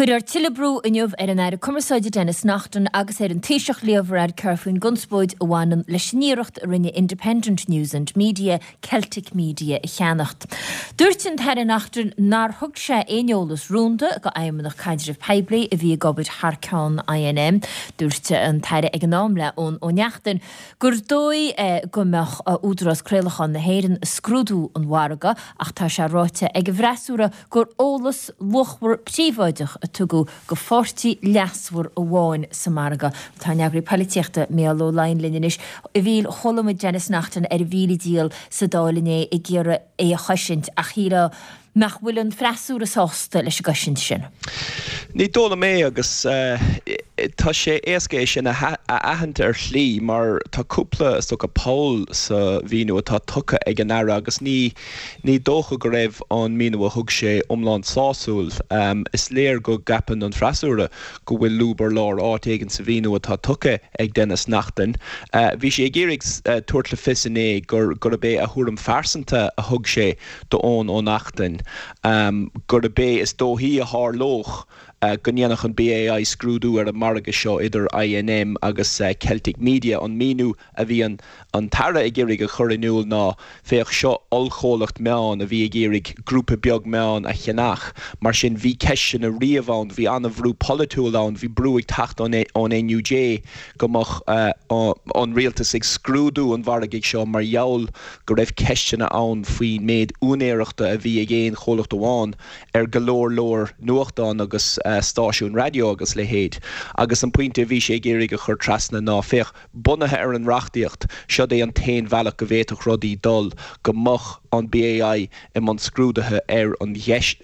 Cuirfear tuilleadh brú inniu ar an Aire Cumarsáide Denis Naughten agus ar an Taoiseach Leo Varadkar faoin gconspóid a bhaineann leis an iarracht a rinne Independent News and Media Celtic Media a cheannacht. Dúirt an tAire Naughten nár thug sé aon eolas rúnda do Fheidhmeannach Caidrimh Poiblí a bhí ag obair thar ceann INM. Dúirt an tAire ag an am le Eoin Ó Neachtain gur dóigh go mbeadh Údarás Craolacháin na hÉireann ag scrúdú an mhargaidh ach tá sé ráite ag an bhfreasúra gur eolas luachmhar príobháideach a tugadh do pháirtí leasmhar amháin sa margadh. Tá ár n-eagraí polaitíochta, Mícheál Ó Laighin linn anois. A Mhíchíl, chuala muid Denis Naughten ar a mhíle dícheall sa Dáil inné ag iarraidh é a chosaint ach shílfeá nach bhfuil an freasúra sásta leis an gcosaint sin. Ní dóigh liom é agus tá sé éasca é sin a aithint ar shlí mar tá cúpla, is dócha, poll sa mhíniú atá tugtha ag an Aire agus ní Ní dócha go raibh an míniú a thug sé iomlán sásúil. Is léir go gceapann an freasúra go bhfuil lúb ar lár áit éigin sa mhíniú atá tugtha ag Denis Naughten. Bhí sé ag iarraidh tabhairt le fios inné gurb é a thuairim phearsanta a thug sé d'Eoin Ó Neachtain, gurb é is dóichí a tharlódh go ndéanfadh an BAI scrúdú ar an margadh seo idir INM agus Celtic Media. An míniú a bhí an an tAire ag iarraidh a chur in iúl ná, féach, seo ollchomhlacht meán a bhí ag iarraidh grúpa beag meán a cheannach. Mar sin, bhí ceisteanna riamh ann, bhí an-bhrú polaitiúil ann, bhí brú ag teacht ón NUJ go mbeadh an rialtas ag scrúdú an mhargaidh seo mar gheall go raibh ceisteanna ann faoin méid úinéireachta a bhí ag aon chomhlacht amháin ar go leor leor nuachtán agus stáisiún raidió agus a leithéid. Agus an pointe a bhí sé ag iarraidh a chur trasna ná, féach, Bunaithe ar an reachtaíocht, seod é an t-aon bhealach go bhféadfadh rudaí dul, go mbeadh an BAI i mbun scrúdaithe ar an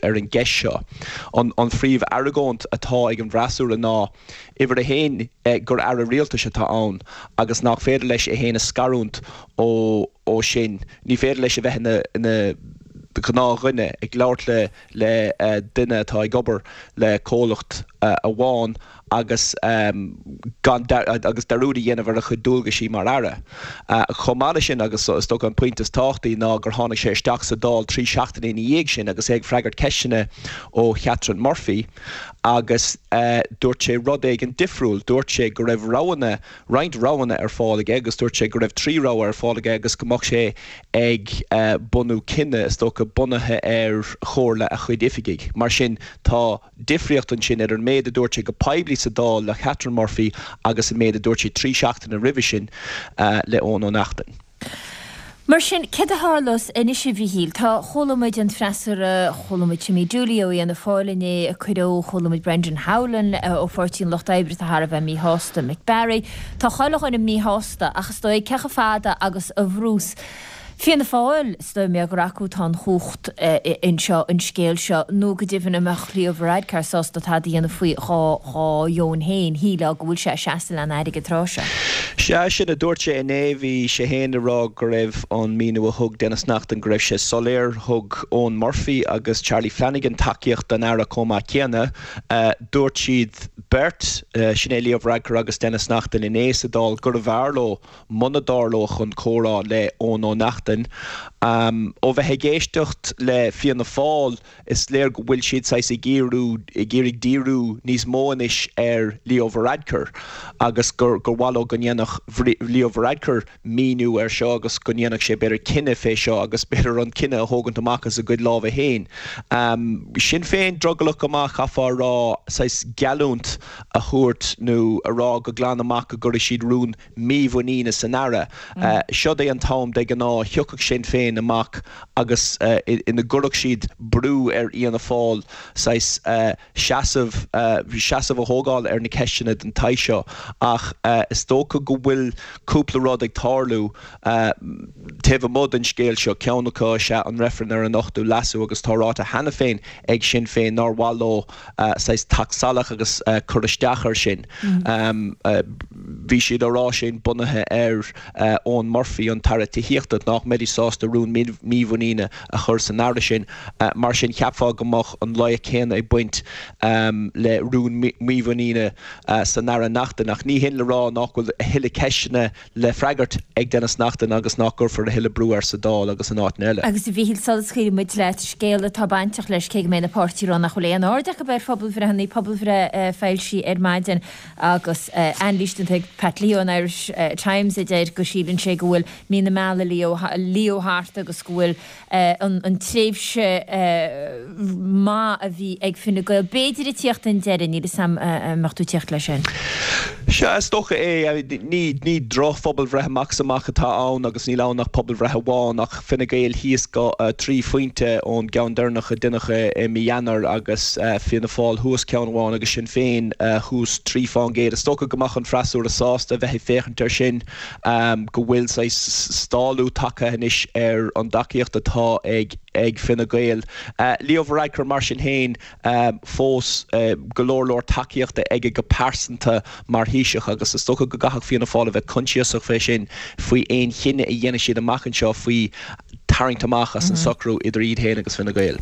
ar an gceist seo. An phríomh-argóint atá ag an bhfreasúra ná, uimhir a haon, gur Aire Rialtais atá ann agus nach féidir leis é féin a scarúint ó ó sin. Ní féidir leis a bheith ina ina ghnáthdhuine ag labhairt le le duine atá ag obair le comhlacht amháin agus gan agus dearúd a dhéanamh ar a chuid dualgaisí mar Aire. Chomh maith leis sin, agus is dócha an pointe is tábhachtaí, ná gur tháinig sé isteach sa Dáil trí seachtaine ina dhiaidh sin agus é ag freagairt ceisteanna ó Chatherine Murphy agus dúirt sé rud éigin difriúil. Dúirt sé go raibh roghanna, roinnt roghanna ar fáil aige agus dúirt sé go raibh trí rogha ar fáil aige agus go mbeadh sé ag bunú cinneadh, is dócha, bunaithe ar chomhairle a chuid oifigigh. Mar sin, tá. difríocht ansin idir an méid a dúirt sé go poiblí sa Dáil le Catherine Murphy agus an méid a dúirt sé trí seachtaine roimhe sin le Eoin Ó Neachtain. Mar sin, céard a tharlós anois, a Mhíchíl? Tá, chuala muid an freasúra, chuala muid Timmy Dooley ó Fhianna Fáil inné ag cuireadh, chuala muid Brendan Howlin ó Pháirtí an Lucht Oibre atá thar a bheith míshásta, Mick Barry. Tá chuile dhuine míshásta ach is dóigh cé chomh fada agus a bhrús Fianna Fáil, is dóigh mé gur acu atá an chumhacht anseo, an scéal seo, nó go deimhin an mbeadh Leo Varadkar sásta tada a dhéanamh faoi dhá dheoin féin, shílfeá go bhfuil sé ag seasamh lena aire an tráth seo. Sea, sin a dúirt sé inné. Bhí sé féin ag rá go raibh an míniú a thug Denis Naughten, go raibh sé soiléir. Thug Eoghan Murphy agus Charlie Flanagan tacaíocht don Aire chomh maith céanna. Dúirt siad beirt, sin é Leo Varadkar agus Denis Naughten inné sa Dáil, gurbh fhearr leo muna dtarlódh an comhrá le Eoin Ó Neachtain. Ó bheith ag éisteacht le Fianna Fáil, is léir go bhfuil siad saghas ag iarraidh ag iarraidh díriú níos mó anois ar Leo Varadkar agus gur gur mhaith leo go ndéanfadh Leo Varadkar míniú air seo agus go ndéanfadh sé b'fhéidir cinneadh fé seo agus b'fhéidir an cinneadh a thógaint amach as a gcuid lámha féin. Sinn Féin drogallach go maith, chaithfeá a rá, saghas geallúint a thabhairt nó a rá go glan amach go gcuirfidh siad rún mímhuiníne san Aire. Seod é an t-am, de ghnáth, a thiocfadh Sinn Féin amach agus ina gcuirfeadh siad brú ar Fhianna Fáil saghas seasamh, seasamh a thógáil ar na ceisteanna den tsaghas seo. Ach is dócha go bhfuil cúpla rud ag tarlú taobh amuigh den scéal seo. Ceann acu is ea an reifreann ar an Ochtú Leasú agus tá ráite cheana féin ag Sinn Féin nár mhaith leo saghas teacht salach agus cur isteach air sin. Bhí siad á rá sin bunaithe ar Eoghan Murphy, an tAire Tithíochta, nach. mbeidís sásta rún mímhuiníne a chur san Aire sin. Mar sin, cheapfá go mbeadh an loighic chéanna ag baint le rún mímhuiníne san Aire Naughten. Ach ní hin le rá nach bhfuil a thuilleadh ceisteanna le freagairt ag Denis Naughten agus nach gcuirfear a thuilleadh brú air sa Dáil agus in áiteanna eile. Agus a Mhíchíl, sula scaoilfidh muid leat, scéal atá bainteach leis, cé go mbeidh na páirtithe ag rá nach bhfuil aon aird acu ar phobalbhreitheanna, pobalbhreith foilsithe ar maidin agus anailís déanta ag Pat Leo in Irish Times a deir go síleann sé go bhfuil mí na meala Leo thart agus go bhfuil an tréimhse maith a bhí ag Fine Gael b'fhéidir ag tíocht chun deiridh, níl 'fhios a'm an mbeadh tú ag tíocht leis sin. Sea, is dócha é. Ní ní droch-phobalbhreith amach is amach atá ann agus níl ann ach pobalbhreith amháin ach Fine Gael thíos go 3 phointe ón gceann deireanach a deineadh i mí Eanáir agus Fianna Fáil thuas ceann amháin agus Sinn Féin thuas 3 fán gcéad. Is dócha go mbeadh an freasúra sásta a bheith ag féachaint air sin. go bhfuil saghas stálú tagtha anois ar an dtacaíocht atá ag Fine Gael. Leo Varadkar mar sin féin, fós go leor leor tacaíochta aige go pearsanta mar Thaoiseach agus is dócha go gcaithfeadh Fianna Fáil a bheith coinsiasach fé sin faoi aon chinneadh a dhéanfaidh siad amach anseo faoi tarraingt amach as an socrú idir iad féin agus Fine Gael.